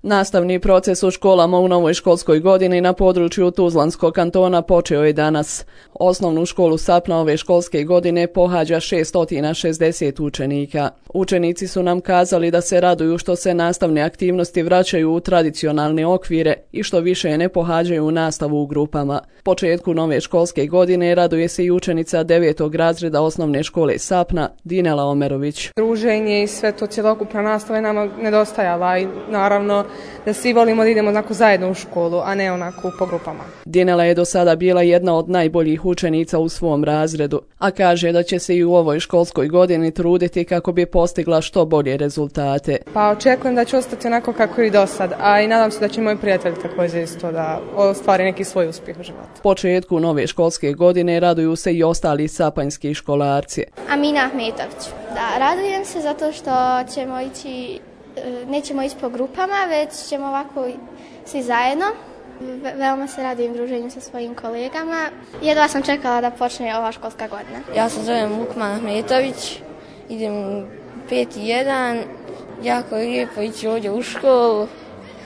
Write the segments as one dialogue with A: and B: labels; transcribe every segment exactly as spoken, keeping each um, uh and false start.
A: Nastavni proces u školama u novoj školskoj godini na području Tuzlanskog kantona počeo je danas. Osnovnu školu Sapna ove školske godine pohađa šessto šezdeset učenika. Učenici su nam kazali da se raduju što se nastavne aktivnosti vraćaju u tradicionalne okvire i što više ne pohađaju nastavu u grupama. Početku nove školske godine raduje se i učenica devetog razreda osnovne škole Sapna, Dinela Omerović.
B: Druženje i sve to, cjelokupna nastava je nama nedostajala i naravno da svi volimo da idemo onako zajedno u školu, a ne onako po grupama.
A: Dinela je do sada bila jedna od najboljih učenica u svom razredu, a kaže da će se i u ovoj školskoj godini truditi kako bi postigla što bolje rezultate.
B: Pa očekujem da će ostati onako kako i do sad, a i nadam se da će moji prijatelji također isto da ostvari neki svoj uspjeh u životu.
A: Početku nove školske godine raduju se i ostali sapanjski školarci.
C: Amina Ahmetović. Da, radujem se zato što ćemo ići, nećemo ići po grupama, već ćemo ovako svi zajedno. Veoma se radujem druženju sa svojim kolegama. Jedva sam čekala da počne ova školska godina.
D: Ja se zovem Lukman Ahmetović, idem u peti jedan, jako je lijepo ići ovdje u školu.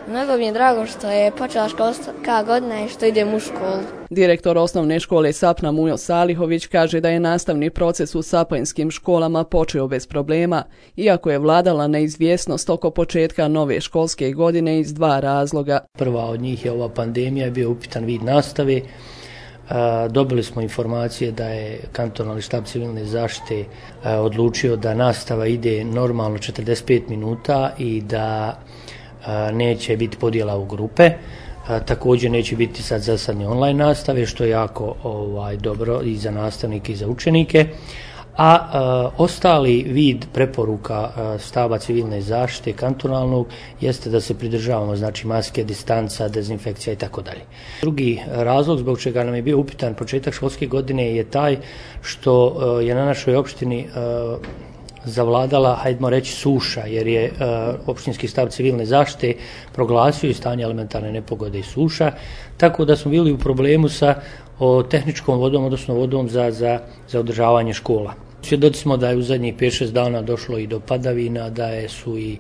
D: Mnogo mi je drago što je počela školska godina i što idem u školu.
A: Direktor osnovne škole Sapna Mujo Salihović kaže da je nastavni proces u sapanjskim školama počeo bez problema, iako je vladala neizvjesnost oko početka nove školske godine iz dva razloga.
E: Prva od njih je ova pandemija, je bio upitan vid nastave. Dobili smo informacije da je kantonalni štab civilne zaštite odlučio da nastava ide normalno četrdeset pet minuta i da neće biti podjela u grupe. Također neće biti sad zasadne online nastave, što je jako ovaj, dobro i za nastavnike i za učenike. A e, ostali vid preporuka e, štaba civilne zaštite kantonalnog jeste da se pridržavamo, znači maske, distanca, dezinfekcija i tako dalje. Drugi razlog zbog čega nam je bio upitan početak školske godine je taj što e, je na našoj opštini e, zavladala, hajdemo reći, suša, jer je e, opštinski štab civilne zaštite proglasio i stanje elementarne nepogode i suša, tako da smo bili u problemu sa o, tehničkom vodom, odnosno vodom za, za, za održavanje škola. Svjedoci smo da je u zadnjih pet šest dana došlo i do padavina, da je, su i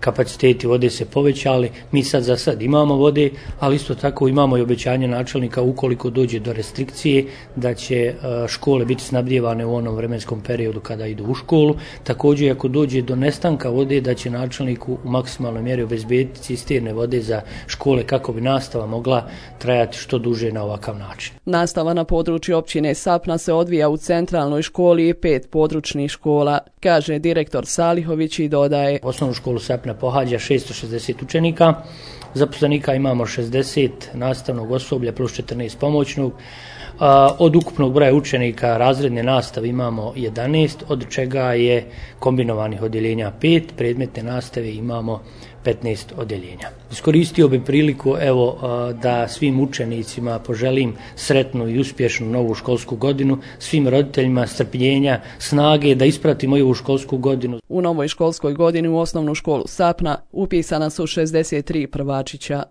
E: kapaciteti vode se povećali. Mi sad za sad imamo vode, ali isto tako imamo i obećanje načelnika ukoliko dođe do restrikcije da će škole biti snabdijevane u onom vremenskom periodu kada idu u školu. Također ako dođe do nestanka vode da će načelniku u maksimalnoj mjeri obezbediti cisterne vode za škole kako bi nastava mogla trajati što duže na ovakav način.
A: Nastava na području općine Sapna se odvija u centralnoj školi i pet područnih škola, kaže direktor Salihović i dodaje.
E: Osnovnu školu Sapna pohađa šessto šezdeset učenika, zaposlenika imamo šezdeset nastavnog osoblja plus četrnaest pomoćnog. Od ukupnog broja učenika razredne nastave imamo jedanaest, od čega je kombinovanih odjeljenja pet, predmetne nastave imamo petnaest odjeljenja. Iskoristio bi priliku evo da svim učenicima poželim sretnu i uspješnu novu školsku godinu, svim roditeljima strpljenja, snage da ispratimo ovu školsku godinu.
A: U novoj školskoj godini u osnovnu školu Sapna upisana su šezdeset tri prvačića.